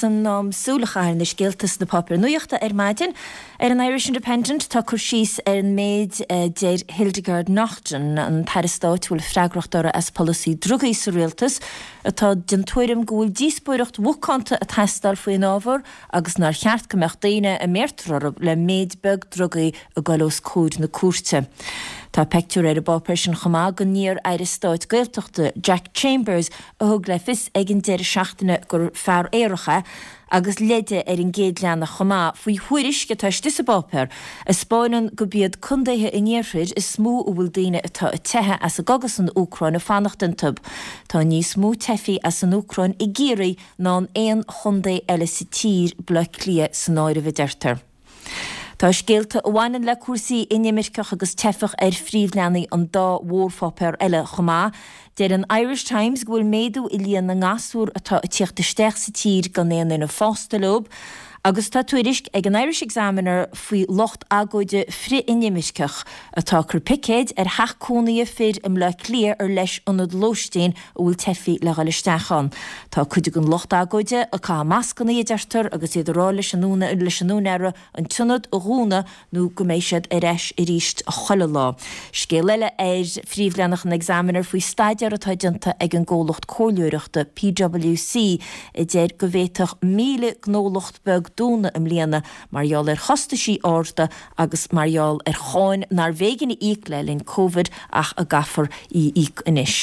Is in am súil a chaitheamh ar na scéalta sna páipéir nuachta ar maidin. Ar an Irish Independent tá cur síos ar an méid a deir Hildegarde Naughton, an tAire Stáit a bhfuil freagracht uirthi as polasaí drugaí sa rialtas, atá den tuairim go bhfuil díospóireacht mhacánta ag teastáil faoin ábhar agus nár cheart go mbeadh daoine a mbéartar orthu le méid beag drugaí ag dul os comhair na cúirte. Tá peictiúr ar an bpáipéar sin chomh maith den iar-aire stáit Gaeltachta, Jack Chambers, a thug le fios ag an deireadh seachtaine gur fear aerach é, agus leide ar an gcéad leathanach chomh maith faoi thuairisc atá istigh sa bpáipéar a 'spáineann gurb iad contaetha an iarthair is mó a bhfuil daoine atá ag teitheadh as an gcogadh san Úcráin ag fanacht iontu. Tá níos mó teifigh as an Úcráin i gCiarraí ná in aon chontae eile sa tír, Baile Átha Cliath san áireamh, a deirtear. Tá scéalta a bhaineann le cúrsaí inimirceach agus teifeach ar phríomhleathanaigh an dá mhórpháipéar eile chomh maith. Deir an Irish Times go bhfuil méadú i líon na ngasúr atá ag tíocht isteach sa tír gan aon duine fásta leo agus tá tuairisc ag an Irish Examiner faoi lucht agóide frith-inimirceach atá ag cur picéid ar theach cónaithe fir i mBleá Cliath ar leis ionad lóistín a bhfuil teifigh le dhul isteach ann. Tá cuid den lucht agóide ag caitheamh mascannaí, a deirtear, agus iad ag rá leis an leis an úinéara an t-ionad a dhúnadh nó go mbeidh siad ar ais arís chuile lá. Scéal eile ar phríomhleathanach an Examiner faoi staidéar atá déanta ag an gcomhlacht comhairleoireachta PwC a deir go bhféadfadh 1,000 gnólacht beag dúnadh i mbliana mar gheall ar chostaisí arda agus mar gheall ar cháin nár bh'éigean a íoc le linn Covid ach a gcaithfear í a íoc anois.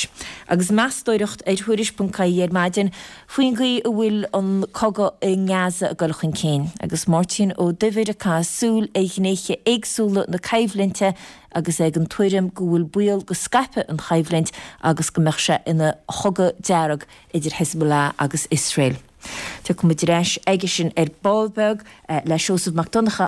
Agus meastóireacht ar Thuairisc.ie ar maidin faoin gcaoi a bhfuil an cogadh i nGaza ag dul chun cinn agus Máirtín Ó Duibhir ag caitheamh súil ar ghnéithe éagsúla na coimhlinte agus é den tuairim go bhfuil baol go scaipfidh an choimhlint agus go mbeadh sé ina chogadh dearg idir Hezbollah agus Iosrael. Tiocfaidh muid ar ais aige sin ar ball beag le Seosamh Mac Donncha.